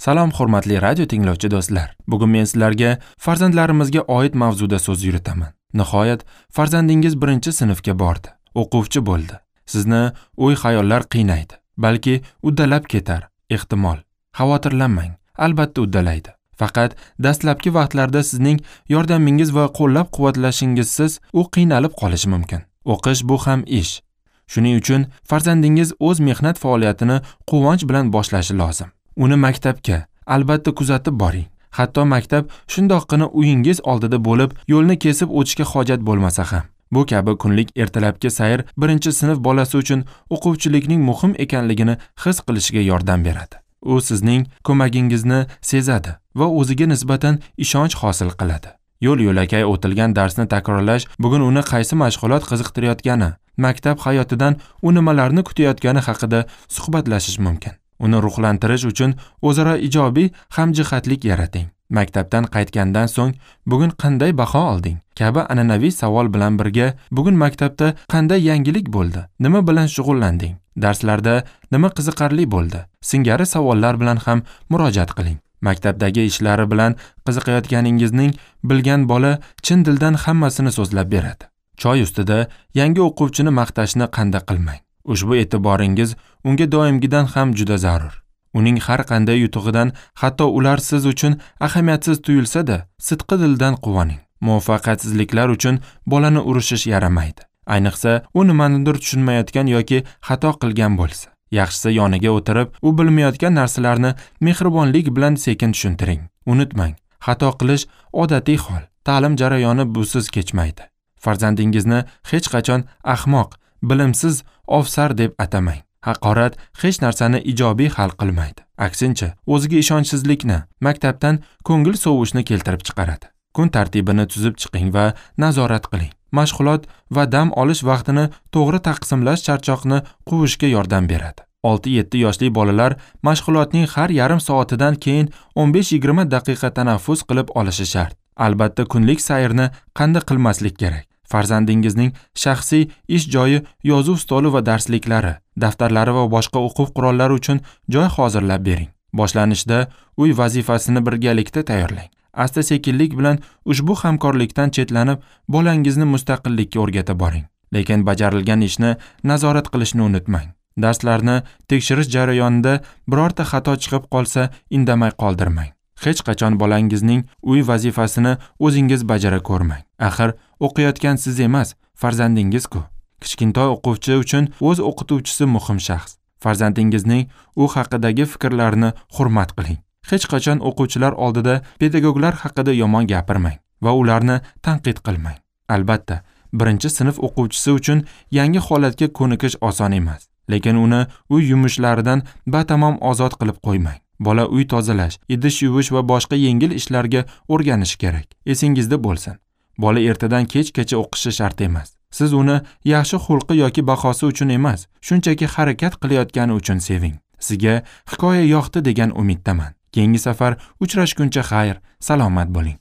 Salom hurmatli radio tinglovchi do'stlar. Bugun men sizlarga farzandlarimizga oid mavzuda so'z yuritaman. Nihoyat farzandingiz 1-sinfga bordi, o'quvchi bo'ldi. Sizni o'y-xayollar qiynaydi. Balki uddalab ketar, ehtimol. Xavotirlanmang, albatta uddalaydi. Faqat dastlabki vaqtlarda sizning yordamingiz va qo'llab-quvvatlashingizsiz u qiynalib qolishi mumkin. O'qish bu ham ish. Shuning uchun farzandingiz o'z mehnat faoliyatini quvonch bilan boshlashi lozim. Uni maktabga albatta kuzatib boring. Hatto maktab shundoqqina uyingiz oldida bo'lib, yo'lni kesib o'tishga hojat bo'lmasa ham. Bu kabi kunlik ertalabki sayr 1-sinf bolasi uchun o'quvchilikning muhim ekanligini his qilishiga yordam beradi. U sizning ko'magingizni sezadi va o'ziga nisbatan ishonch hosil qiladi. Yo'l-yo'lakay o'tilgan darsni takrorlash bugun uni qaysi mashg'ulot qiziqtirayotgani, maktab hayotidan u nimalarni kutayotgani haqida suhbatlashish mumkin. Uni ruhlantirish uchun o'zaro ijobiy hamjihatlik yarating. Maktabdan qaytgandan so'ng bugun qanday baho olding kabi an'anaviy savol bilan birga bugun maktabda qanday yangilik bo'ldi, nima bilan shug'ullanding, darslarda nima qiziqarli bo'ldi singari savollar bilan ham murojaat qiling. Maktabdagi ishlari bilan qiziqayotganingizning bilgan bola chin dildan hammasini so'zlab beradi. Choy ustida yangi o'quvchini maqtashni qanda qilmang. Ushbu e'tiboringiz unga doimgidan ham juda zarur. Uning har qanday yutug'idan, hatto ular siz uchun ahamiyatsiz tuyulsa-da, sidqi dildan quvoning. Muvaffaqiyatsizliklar uchun bolani urishish yaramaydi. Ayniqsa, u nimanidir tushunmayotgan yoki xato qilgan bo'lsa. Yaxshisi yoniga o'tirib, u bilmayotgan narsalarni mehribonlik bilan sekin tushuntiring. Unutmang, xato qilish odatiy hol. Ta'lim jarayoni busiz kechmaydi. Farzandingizni hech qachon ahmoq, bilimsiz, ofsar deb atamang. Haqorat hech narsani ijobiy hal qilmaydi. Aksincha, o'ziga ishonchsizlikni, maktabdan ko'ngil sovishni keltirib chiqaradi. Kun tartibini tuzib chiqing va nazorat qiling. Mashg'ulot va dam olish vaqtini to'g'ri taqsimlash charchoqni quvishga yordam beradi. 6-7 yoshli bolalar mashg'ulotning har yarim soatidan keyin 15-20 daqiqa tanaffus qilib olishi shart. Albatta kunlik sayrni qanday qilmaslik kerak. Farzandingizning shaxsiy ish joyi, yozuv stoli va darsliklari, daftarlari va boshqa o'quv qurollari uchun joy hozirlab bering. Boshlanishda uy vazifasini birgalikda tayyorlang. Asta-sekinlik bilan ushbu hamkorlikdan chetlanib, bolangizni mustaqillikka o'rgata boring. Lekin bajarilgan ishni nazorat qilishni unutmang. Darslarni tekshirish jarayonida birorta xato chiqib qolsa, indamay qoldirmang. Hech qachon bolangizning uy vazifasini o'zingiz bajara ko'rmang. Axir o'qiyotgan siz emas, farzandingiz-ku. Kichkintoy o'quvchi uchun o'z o'qituvchisi muhim shaxs. Farzandingizning u haqidagi fikrlarini hurmat qiling. Hech qachon o'quvchilar oldida pedagoglar haqida yomon gapirmang va ularni tanqid qilmang. Albatta, 1-sinf o'quvchisi uchun yangi holatga ko'nikish oson emas, lekin uni uy yumushlaridan batamom ozod qilib qo'ymang. Bola uy tozalash, idish yuvish va boshqa yengil ishlarga o'rganishi kerak. Esingizda bo'lsin. Bola ertadan kechgacha o'qishi shart emas. Siz uni yaxshi xulqi yoki bahosi uchun emas, shunchaki harakat qilayotgani uchun seving. Sizga hikoya yoqdi degan umiddaman. Keyingi safar uchrashguncha xayr, salomat bo'ling.